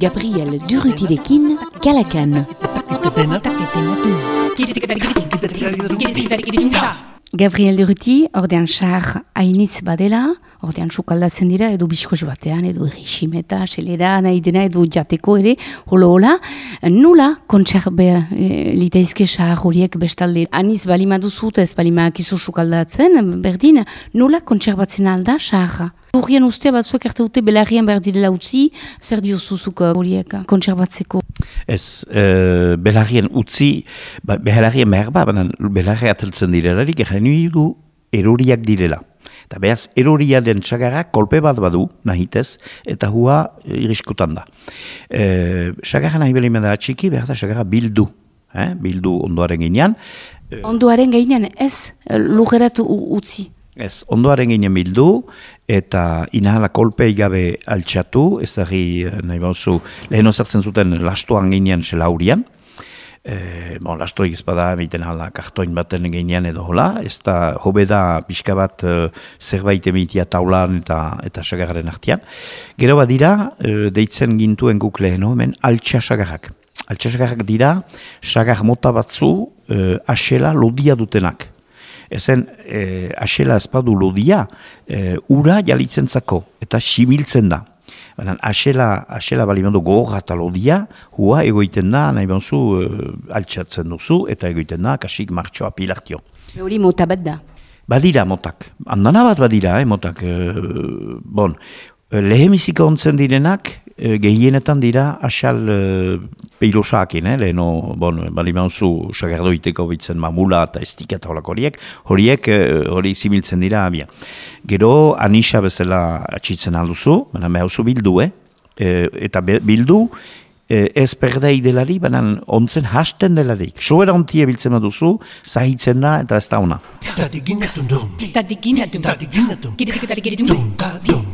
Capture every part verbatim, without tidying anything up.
Gabriel Durrutirekin, Kalakan. Gabriel Durruti, ordean xar hainitz badela, ordean sukaldatzen dira, edo biskoz batean, edo eriximeta, selera, nahi dena, edo jateko ere, holo-hola. Nula kontserbe e, litaizke xar horiek bestalde. Aniz balima duzut, ez balima akizu sukaldatzen, berdin, nula kontserbatzen alda xarra. Urrien ustea batzuek arte dute belarrien behar direla utzi, zer diozuzuk horiek kontserbatzeko? Ez, e, belarrien utzi, ba, belarrien behar ba, baina belarria ateltzen direlarik, egin du eroriak direla. Eta behaz, eroria den txagarrak kolpe bat badu, nahitez, eta hua e, iriskotan da. E, txagarra nahi belimena da txiki, behar da txagarra bildu. Eh? Bildu ondoaren ginean. E, ondoaren ginean ez lugerat utzi? Ez, ondoaren ginen bildu, eta inahala kolpei gabe altxatu, ezagri nahi bauzu, lehen ozartzen zuten lastoan ginen zela hurian. E, bon, lastoik ezpada, egiten hala kartoin baten ginean edo hola, ez da hobe da pixka bat e, zerbait emitia taulan eta eta sagarren artean. Gero bat dira, e, deitzen gintuen guk lehen hemen altxa sagarrak. Altxa sagarrak dira, sagar mota batzu e, asela lodia dutenak. Ezen, e, asela ezpadu lodia, e, ura jalitzen zako, eta similtzen da. Baina, asela, asela balimando gogorra eta lodia, hua egoiten da, nahi banzu, e, altxatzen duzu, eta egoiten da, kasik martxoa pilartio. Hori mota bat da? Badira motak. Andana bat badira, eh, motak. E, bon, lehemizika ontzen direnak, e, gehienetan dira asal e, peilosaakin, eh, leheno, bon, balimauzu sagardoiteko bitzen mamula eta estika eta holako horiek, horiek hori similtzen dira abia. Gero anisa bezala atxitzen alduzu, baina behauzu bildu, eh? E, eta be, bildu e, ez perdei delari, baina ontzen hasten delarik. Soera ontie biltzen duzu, zahitzen da eta ez da ona.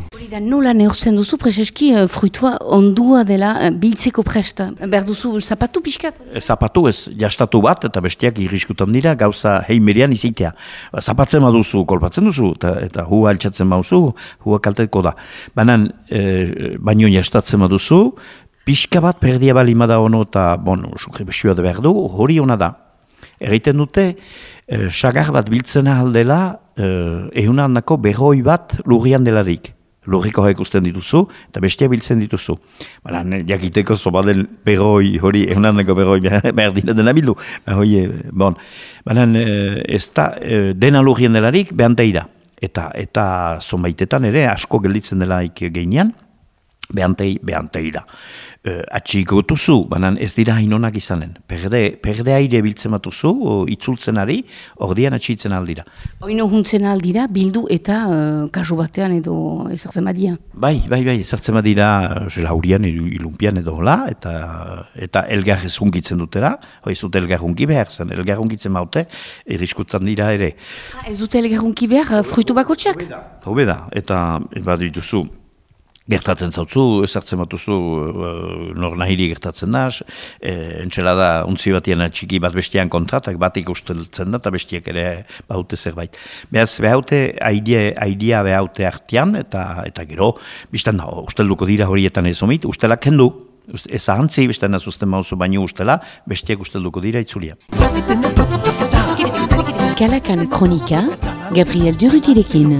Hori da nola neurtzen duzu, prezeski fruitua ondua dela biltzeko presta. Behar duzu zapatu pixkat? Zapatu ez, jastatu bat eta bestiak irriskutan dira gauza heimerian izitea. Zapatzen baduzu, kolpatzen duzu, eta, eta hua altxatzen baduzu, hua kalteko da. Baina, e, baino jastatzen baduzu, pixka bat perdia balima da ono eta, bon, sukre besua da behar du, hori ona da. Erreiten dute, e, sagar bat biltzena aldela, e, ehuna handako berroi bat lurrian delarik. Lurriko hek usten dituzu, eta bestia biltzen dituzu. Baina, jakiteko zobaden berroi, hori, ehuna handako berroi behar dira dena bildu. Hori, bon. Baina, ez da, dena lurrien delarik, behanteira. Eta, eta zonbaitetan ere, asko gelditzen delaik geinean, behantei, behanteira. E, atxiko duzu, baina ez dira hainonak izanen. Perde, perde aire biltzen batuzu, itzultzen ari, ordian atxitzen aldira. Oino huntzen aldira, bildu eta uh, kasu batean edo ezartzen badia? Bai, bai, bai, ezartzen badira jelaurian, ilumpian edo hola, eta, eta elgar ez hunkitzen dutera, hoi ez dute elgar hunki behar zen, elgar hunkitzen baute, irriskutzen dira ere. Ha, ez dute elgar hunki behar, fruitu bakotxak? Hobeda, eta bat dituzu, gertatzen zautzu, ezartzen batuzu, uh, nor nahiri gertatzen da, e, entxelada untzi batian txiki bat bestian kontratak, batik usteltzen da, eta bestiak ere baute zerbait. Behaz, behaute, aidia behaute artean, eta eta gero, biztan da, ustelduko dira horietan ez omit, ustelak kendu, ez ahantzi, biztan da zuzten mauzu baino ustela, bestiak ustelduko dira itzulia. Kalakan kronika, Gabriel Durrutirekin.